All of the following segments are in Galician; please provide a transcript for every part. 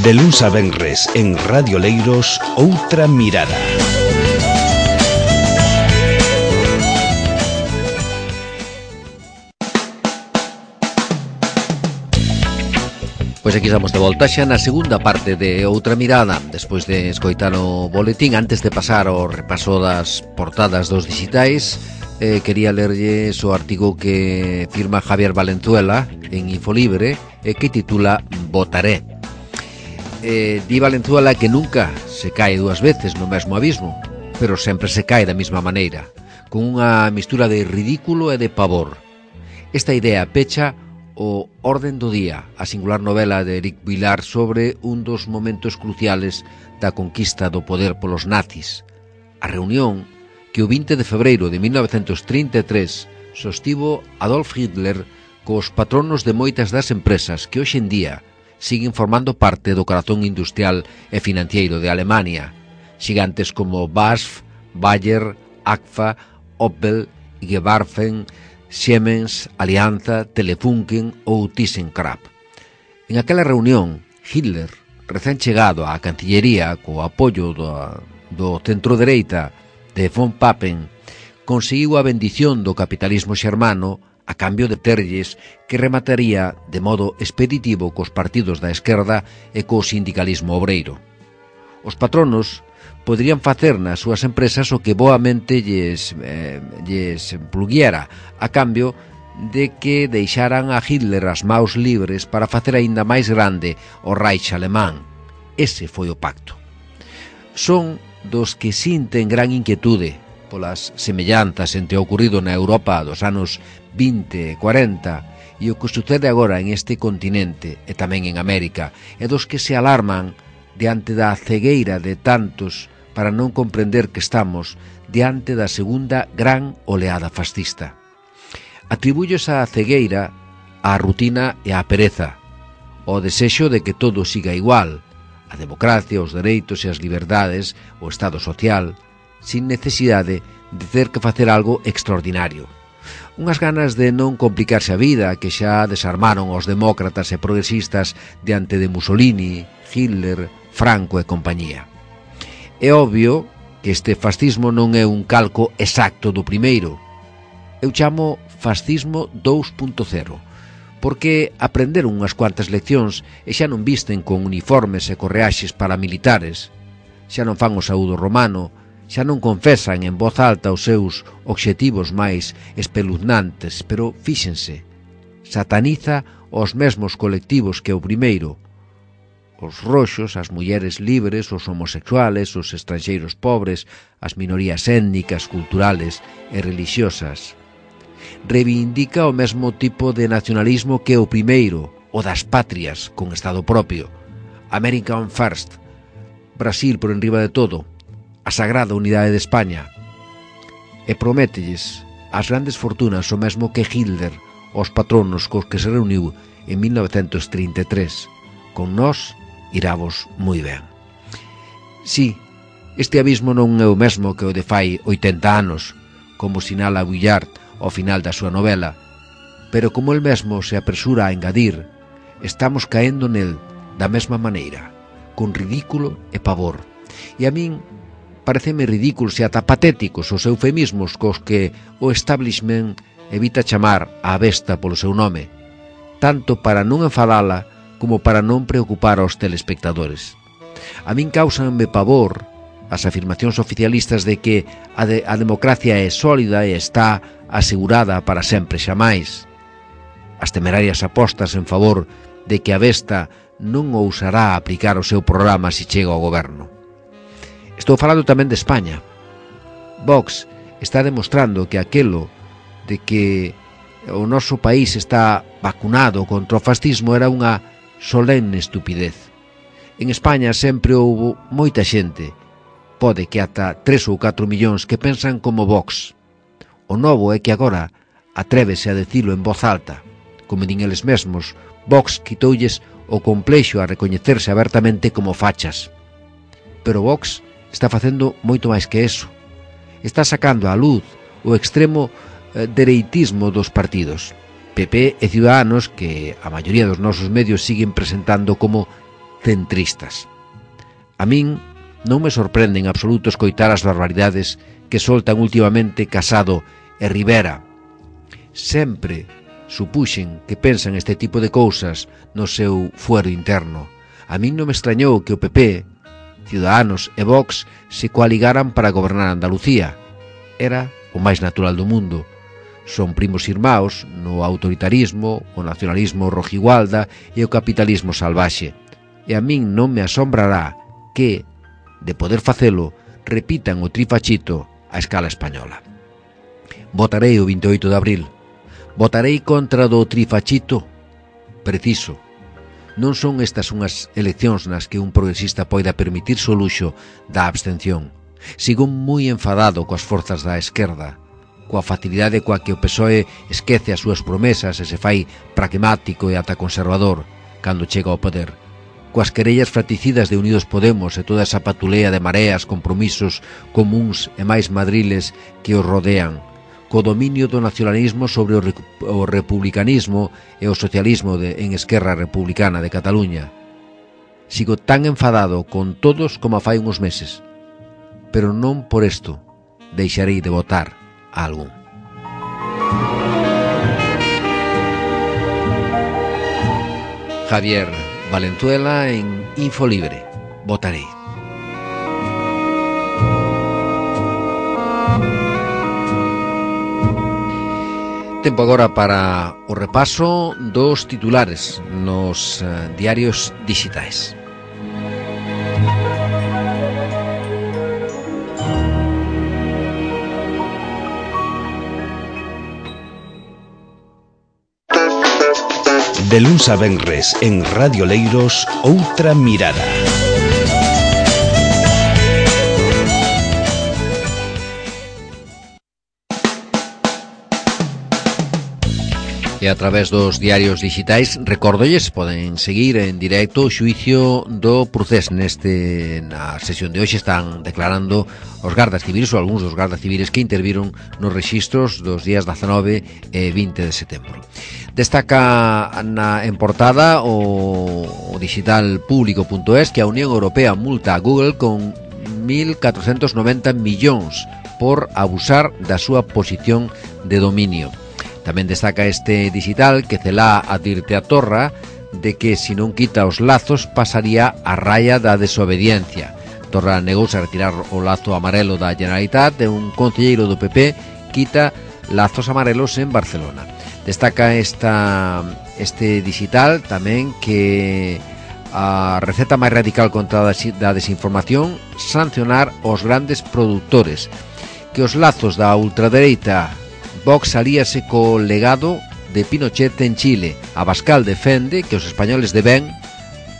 De luns a venres en Radio Leiros, Outra Mirada. Pois aquí estamos de volta xa na segunda parte de Outra Mirada. Despois de escoitar o boletín, antes de pasar ao repaso das portadas dos digitais, quería lerlles o artigo que firma Javier Valenzuela en Infolibre, que titula Votaré. Di Valenzuela que nunca se cae dúas veces no mesmo abismo, pero sempre se cae da mesma maneira, con unha mistura de ridículo e de pavor. Esta idea pecha o Orden do Día, a singular novela de Eric Vilar sobre un dos momentos cruciales da conquista do poder polos nazis, a reunión que o 20 de febreiro de 1933 sostivo Adolf Hitler cos patronos de moitas das empresas que hoxe en día siguen formando parte do corazón industrial e financiero de Alemania, xigantes como BASF, Bayer, Agfa, Opel, Gewarfen, Siemens, Alianza, Telefunken ou ThyssenKrupp. En aquela reunión, Hitler, recén chegado á Cancillería co apoio do centro-dereita de von Papen, conseguiu a bendición do capitalismo xermano a cambio de terlles que remataría de modo expeditivo cos partidos da esquerda e co sindicalismo obreiro. Os patronos poderían facer nas súas empresas o que boamente lles pluguiera, a cambio de que deixaran a Hitler as maus libres para facer aínda máis grande o Reich alemán. Ese foi o pacto. Son dos que sinten gran inquietude polas semellanzas entre o ocorrido na Europa dos anos 20 e 40 e o que sucede agora en este continente e tamén en América, e dos que se alarman diante da cegueira de tantos para non comprender que estamos diante da segunda gran oleada fascista. Atribuyo esa cegueira á rutina e á pereza, ao desexo de que todo siga igual, a democracia, os dereitos e as liberdades, o Estado social, sin necesidade de ter que facer algo extraordinario. Unhas ganas de non complicarse a vida que xa desarmaron os demócratas e progresistas diante de Mussolini, Hitler, Franco e compañía. É obvio que este fascismo non é un calco exacto do primeiro. Eu chamo fascismo 2.0, porque aprenderon unhas cuantas leccións e xa non visten con uniformes e correaxes paramilitares, xa non fan o saúdo romano, xa non confesan en voz alta os seus obxectivos máis espeluznantes, pero fíxense, sataniza os mesmos colectivos que o primeiro, os roxos, as mulleres libres, os homosexuales, os estranxeiros pobres, as minorías étnicas, culturales e religiosas. Reivindica o mesmo tipo de nacionalismo que o primeiro, o das patrias con Estado propio, American First, Brasil por enriba de todo, a sagrada unidade de España, e promételles as grandes fortunas o mesmo que Hitler aos patronos cos que se reuniu en 1933. Con nós iravos moi ben. Si, este abismo non é o mesmo que o de fai 80 anos, como sinala Vuillard ao final da súa novela, pero como el mesmo se apresura a engadir, estamos caendo nel da mesma maneira, con ridículo e pavor. E a min pareceme ridículos e ata patéticos os eufemismos cos que o establishment evita chamar a besta polo seu nome, tanto para non enfadala como para non preocupar aos telespectadores. A min causanme pavor as afirmacións oficialistas de que a democracia é sólida e está asegurada para sempre xamais. As temerarias apostas en favor de que a besta non ousará aplicar o seu programa se chega ao goberno. Estou falando tamén de España. Vox está demostrando que aquelo de que o noso país está vacunado contra o fascismo era unha solenne estupidez. En España sempre houbo moita xente, pode que ata 3 ou 4 millóns que pensan como Vox. O novo é que agora atrévese a dicilo en voz alta. Como din eles mesmos, Vox quitoulles o complexo a recoñecerse abertamente como fachas. Pero Vox está facendo moito máis que eso. Está sacando á luz o extremo dereitismo dos partidos. PP e Ciudadanos, que a maioría dos nosos medios siguen presentando como centristas. A min non me sorprende en absoluto escoitar as barbaridades que soltan últimamente Casado e Rivera. Sempre supuxen que pensan este tipo de cousas no seu fuero interno. A min non me extrañou que o PP, Ciudadanos e Vox se coaligaran para gobernar Andalucía. Era o máis natural do mundo. Son primos irmãos no autoritarismo, o nacionalismo rojigualda e o capitalismo salvaxe. E a min non me asombrará que, de poder facelo, repitan o trifachito a escala española. Votarei o 28 de abril. Votarei contra do trifachito? Preciso. Non son estas unhas eleccións nas que un progresista poida permitirse o luxo da abstención. Sigo moi enfadado coas forzas da esquerda, coa facilidade coa que o PSOE esquece as súas promesas e se fai pragmático e ata conservador cando chega ao poder, coas querellas fraticidas de Unidos Podemos e toda esa patulea de mareas, compromisos comuns e máis madriles que os rodean, co dominio do nacionalismo sobre o republicanismo e o socialismo en Esquerra Republicana de Cataluña. Sigo tan enfadado con todos como fai uns meses, pero non por isto deixarei de votar a algún. Javier Valenzuela en Infolibre. Votarei. Tempo agora para o repaso dos titulares nos diarios digitais. De luns a venres en Radio Leiros, Outra Mirada. E a través dos diarios digitais, recórdolles, poden seguir en directo o xuicio do Procés. Na sesión de hoxe están declarando os gardas civiles ou algúns dos gardas civiles que interviron nos rexistros dos días 19 e 20 de setembro. Destaca en portada o digital público.es que a Unión Europea multa a Google con 1.490 millóns por abusar da súa posición de dominio. Tamén destaca este digital que Celá advirte a Torra de que se non quita os lazos pasaría a raya da desobediencia. Torra negouse a retirar o lazo amarelo da Generalitat e un concelleiro do PP quita lazos amarelos en Barcelona. Destaca este digital tamén que a receta máis radical contra da desinformación, sancionar os grandes produtores, que os lazos da ultradereita Vox alíase co legado de Pinochet en Chile. Abascal defende que os españoles de ben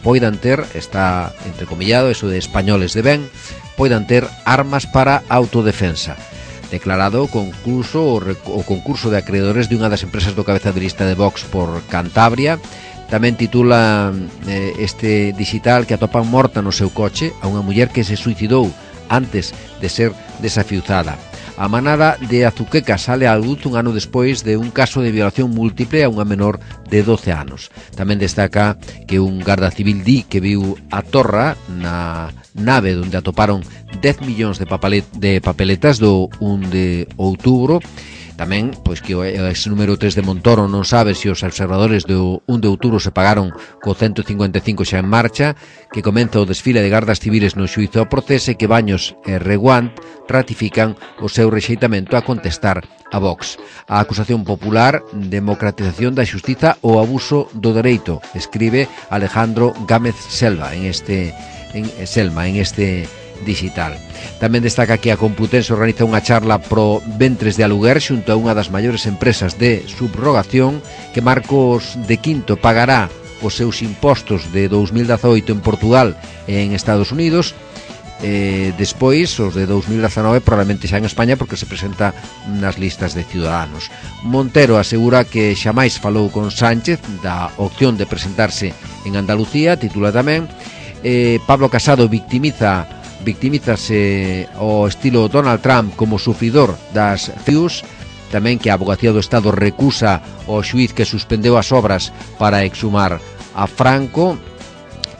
poidan ter, está entrecomillado eso de españoles de ben, poidan ter armas para autodefensa. Declarado o concurso de acreedores de unha das empresas do cabeza de lista de Vox por Cantabria. Tamén titula este digital que atopan morta no seu coche a unha muller que se suicidou antes de ser desafiuzada. A manada de Azuqueca sale á luz un ano despois de un caso de violación múltiple a unha menor de 12 anos. Tamén destaca que un garda civil di que viu a Torra na nave onde atoparon 10 millóns de papeletas do 1 de outubro. Tamén, pois que o ex número 3 de Montoro non sabe se os observadores do 1 de outubro se pagaron co 155 xa en marcha, que comeza o desfile de gardas civiles no xuízo ao Procés e que Baños e Reguant ratifican o seu rexeitamento a contestar a Vox. A acusación popular, democratización da xustiza ou abuso do dereito, escribe Alejandro Gámez Selma en este digital. Tamén destaca que a Complutense organiza unha charla pro ventres de aluguer xunto a unha das maiores empresas de subrogación, que Marcos de Quinto pagará os seus impostos de 2018 en Portugal e en Estados Unidos. Despois, os de 2019 probablemente xa en España porque se presenta nas listas de Ciudadanos. Montero asegura que xamais falou con Sánchez da opción de presentarse en Andalucía. Titula tamén Pablo Casado victimízase ao estilo Donald Trump como sufridor das FIUs. Tamén que a Abogacía do Estado recusa o xuíz que suspendeu as obras para exhumar a Franco.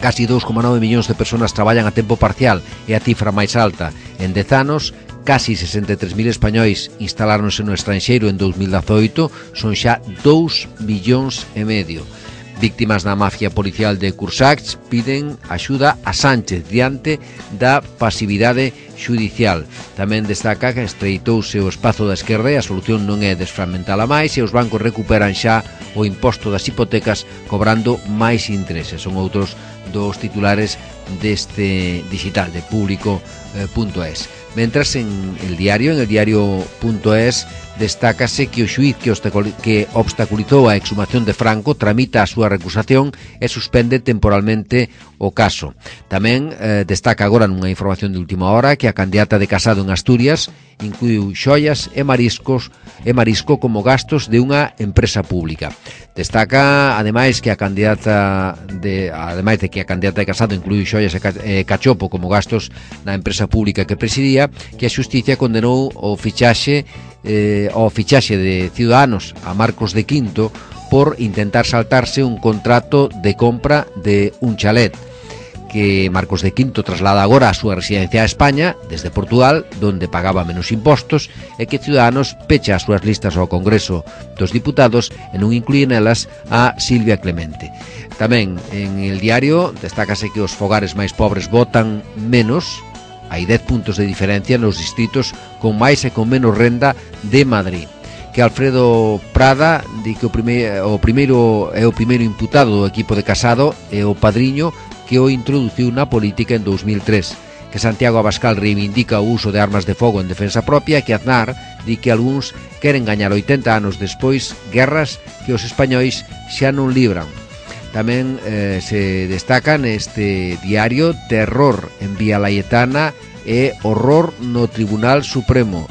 Casi 2,9 millóns de persoas traballan a tempo parcial, é a cifra máis alta en 10 anos. Casi 63.000 españois instaláronse no estranxeiro en 2018, son xa 2,5 millóns. Víctimas da mafia policial de Cursach piden axuda a Sánchez diante da pasividade xudicial. Tamén destaca que estreitouse o espazo da esquerda e a solución non é desfragmentala máis e os bancos recuperan xa o imposto das hipotecas cobrando máis intereses. Son outros dos titulares deste digital de Público.es. Mentras en el diario.es destácase que o xuíz que obstaculizou a exhumación de Franco tramita a súa recusación e suspende temporalmente o caso. Tamén destaca agora nunha información de última hora que a candidata de Casado en Asturias incluiu xoias e marisco como gastos de unha empresa pública. Destaca ademais de que a candidata de Casado incluiu xoias e cachopo como gastos na empresa pública que presidía, que a xustiza condenou o fichaxe de Ciudadanos a Marcos de Quinto por intentar saltarse un contrato de compra de un chalet que Marcos de Quinto traslada agora a súa residencia a España desde Portugal, donde pagaba menos impostos, e que Ciudadanos pecha as súas listas ao Congreso dos Diputados e non incluye nelas a Silvia Clemente. Tamén en el diario destácase que os fogares máis pobres votan menos. Hai 10 puntos de diferencia nos distritos con máis e con menos renda de Madrid. Que Alfredo Prada di que o primeiro imputado do equipo de Casado é o padriño que o introduciu na política en 2003. Que Santiago Abascal reivindica o uso de armas de fogo en defensa propia, que Aznar di que algúns queren gañar 80 anos despois guerras que os españois xa non libran. Tamén se destaca neste diario terror en Vía Laietana e horror no Tribunal Supremo.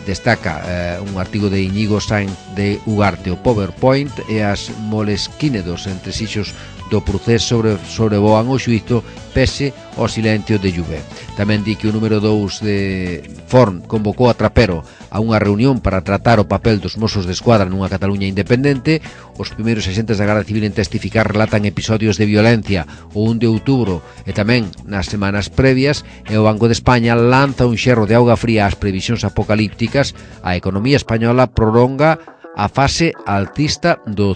Destaca un artigo de Íñigo Sainz de Ugarte, o PowerPoint e as molesquínedos entre xixos do procés sobrevoan o xuízo pese ao silencio de Juve. Tamén di que o número 2 de Forn convocou a Trapero a unha reunión para tratar o papel dos Mossos de Escuadra nunha Cataluña independente. Os primeiros agentes da Garda Civil en testificar relatan episodios de violencia o 1 de outubro e tamén nas semanas previas, e o Banco de España lanza un xerro de auga fría ás previsións apocalípticas. A economía española prolonga a fase altista do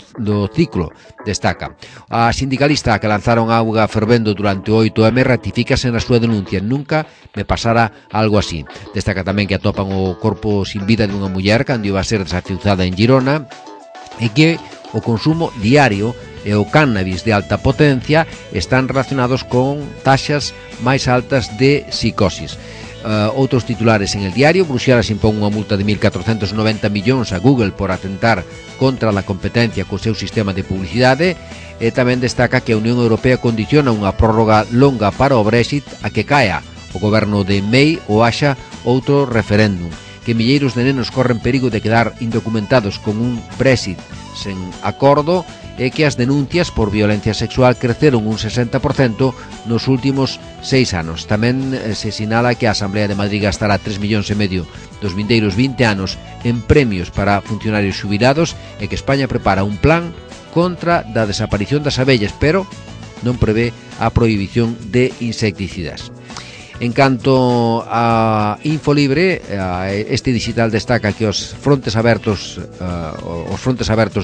ciclo, destaca. A sindicalista que lanzaron auga fervendo durante o 8M ratifícase na súa denuncia. Nunca me pasara algo así. Destaca tamén que atopan o corpo sin vida dunha muller cando iba a ser desafiuzada en Girona e que o consumo diario e o cannabis de alta potencia están relacionados con taxas máis altas de psicosis. Outros titulares en el diario: Bruxelas impón unha multa de 1.490 millóns a Google por atentar contra a competencia co seu sistema de publicidade, e tamén destaca que a Unión Europea condiciona unha prórroga longa para o Brexit a que caia o goberno de May ou haxa outro referéndum, que milleiros de nenos corren perigo de quedar indocumentados con un Brexit sen acordo, e que as denuncias por violencia sexual creceron un 60% nos últimos 6 anos. Tamén se sinala que a Asamblea de Madrid gastará 3,5 millóns dos vindeiros 20 anos en premios para funcionarios xubilados, e que España prepara un plan contra da desaparición das abellas, pero non prevé a prohibición de insecticidas. En canto a Infolibre, este digital destaca que os frontes abertos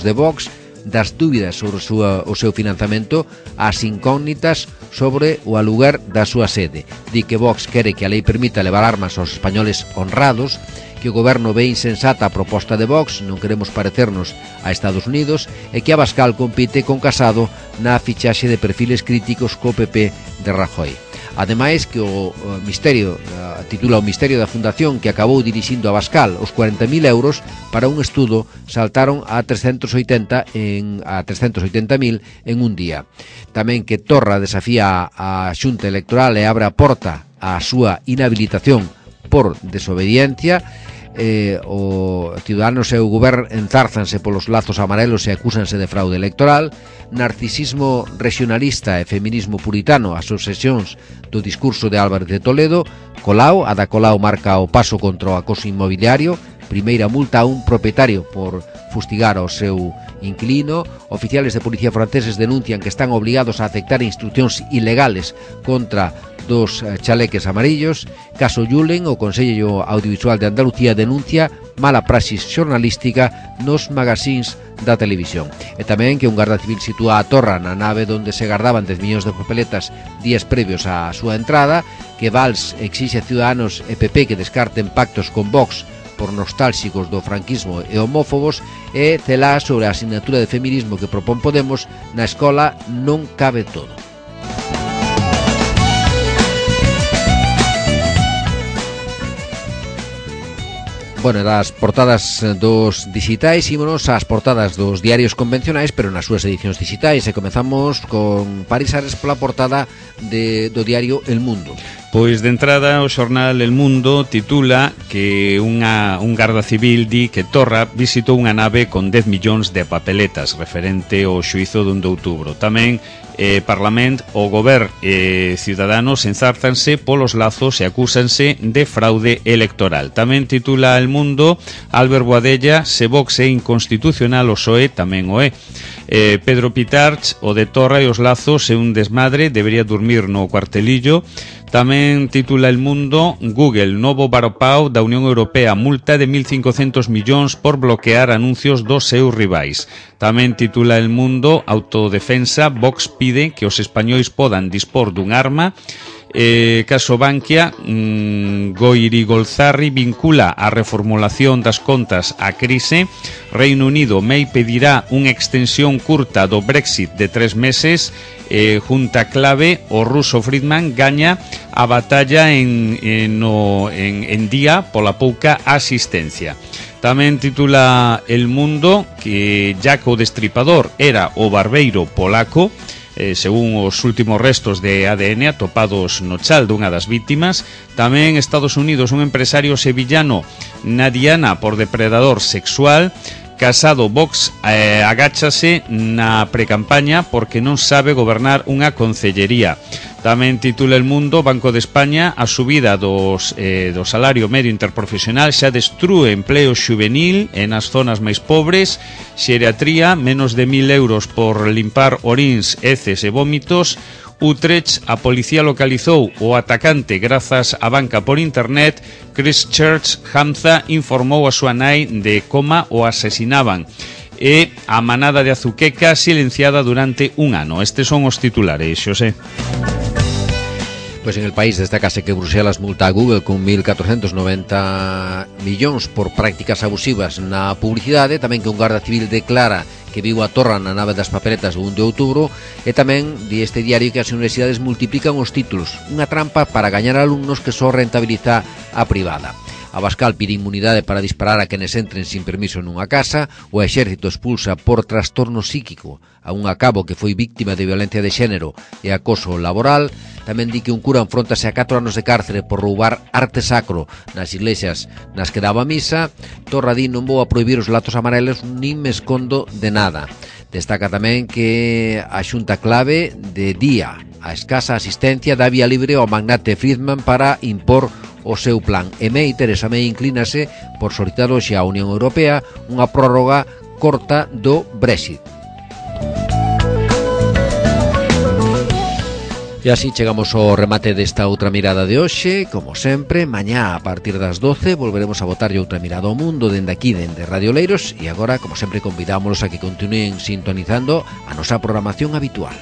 de Vox, das dúbidas sobre o seu financiamento ás incógnitas sobre o aluguer da súa sede. Di que Vox quere que a lei permita levar armas aos españoles honrados, que o goberno ve insensata a proposta de Vox, non queremos parecernos a Estados Unidos, e que Abascal compite con Casado na fichaxe de perfiles críticos co PP de Rajoy. Ademais que o misterio, titula o misterio da fundación que acabou dirixindo Abascal, os 40.000 euros para un estudo saltaron a 380.000 en un día. Tamén que Torra desafía a Xunta Electoral e abre a porta á súa inhabilitación por desobediencia. O Ciudadanos e o Goberno enzárzanse polos lazos amarelos e acúsanse de fraude electoral. Narcisismo regionalista e feminismo puritano, as obsesións do discurso de Álvarez de Toledo. Colau, Ada Colau marca o paso contra o acoso inmobiliario. primeira multa a un propietario por fustigar ao seu inquilino. Oficiales de policía franceses denuncian que están obligados a aceptar instruccións ilegales contra dos chaleques amarillos. Caso Julen, o Consello Audiovisual de Andalucía denuncia mala praxis xornalística nos magazines da televisión. E tamén que un garda civil sitúa a torra na nave onde se gardaban 10 millóns de papeletas días previos á súa entrada, que Valls exixe a Ciudadanos e PP que descarten pactos con Vox por nostálxicos do franquismo e homófobos, e Celá sobre a asignatura de feminismo que propón Podemos: na escola non cabe todo. Bueno, das portadas dos digitais ímonos ás portadas dos diarios convencionais, pero nas súas edicións digitais, e comezamos con Paris Ares pola portada do diario El Mundo. Pois de entrada o xornal El Mundo titula que un garda civil di que Torra visitou unha nave con 10 millóns de papeletas referente ao xuízo do 1 de outubro. Tamén Parlamento, o Goberno e Ciudadanos enzártanse polos lazos e acúsanse de fraude electoral. Tamén titula El Mundo: Albert Boadella, se Vox é inconstitucional, o PSOE tamén o é. Pedro Pitarch, o de Torra e os lazos é un desmadre, debería dormir no cuartelillo. Tamén titula El Mundo: Google, novo varopao da Unión Europea, multa de 1.500 millóns por bloquear anuncios dos seus rivais. Tamén titula El Mundo: Autodefensa, Vox pide que os españois podan dispor dun arma. Caso Bankia, Goirigolzarri vincula a reformulación das contas á crise. Reino Unido, May pedirá unha extensión curta do Brexit de 3 meses. Junta clave, o ruso Friedman gaña a batalla en día pola pouca asistencia. Tamén titula El Mundo que Jack o Destripador era o barbeiro polaco. Según os últimos restos de ADN atopados no chal dunha das vítimas. Tamén Estados Unidos, un empresario sevillano na diana por depredador sexual. Casado, Vox agáchase na precampaña porque non sabe gobernar unha concellería. Tamén titula El Mundo: Banco de España, a subida do salario medio interprofesional xa destrúe empleo xuvenil e nas zonas máis pobres. Xeriatría, menos de 1.000 euros por limpar orins, heces e vómitos. Utrecht, a policía localizou o atacante grazas á banca por internet. Christchurch, Hamza informou a súa nai de coma o asesinaban. E a manada de Azuqueca silenciada durante un ano. Estes son os titulares, Xosé. Pois en El País destacase que Bruselas multa a Google con 1.490 millóns por prácticas abusivas na publicidade. Tamén que un garda civil declara que viu a Torra na nave das papeletas do 1 de outubro. E tamén di este diario que as universidades multiplican os títulos, unha trampa para gañar alumnos que só rentabiliza a privada. Abascal pide inmunidade para disparar a quenes entren sin permiso nunha casa. O exército expulsa por trastorno psíquico a un cabo que foi víctima de violencia de xénero e acoso laboral. Tamén di que un cura enfróntase a 4 anos de cárcere por roubar arte sacro nas iglesias nas que daba misa. Torra di: non vou a prohibir os latos amarelos nin me escondo de nada. Destaca tamén que a xunta clave de día a escasa asistencia dá vía libre ao magnate Friedman para impor o seu plan. E Teresa May inclínase por solicitar hoxe á Unión Europea unha prórroga corta do Brexit. E así chegamos ao remate desta outra mirada de hoxe. Como sempre, mañá a partir das 12 volveremos a botarlle outra mirada ao mundo dende aquí, dende Radio Leiros. E agora, como sempre, convidámolos a que continúen sintonizando a nosa programación habitual.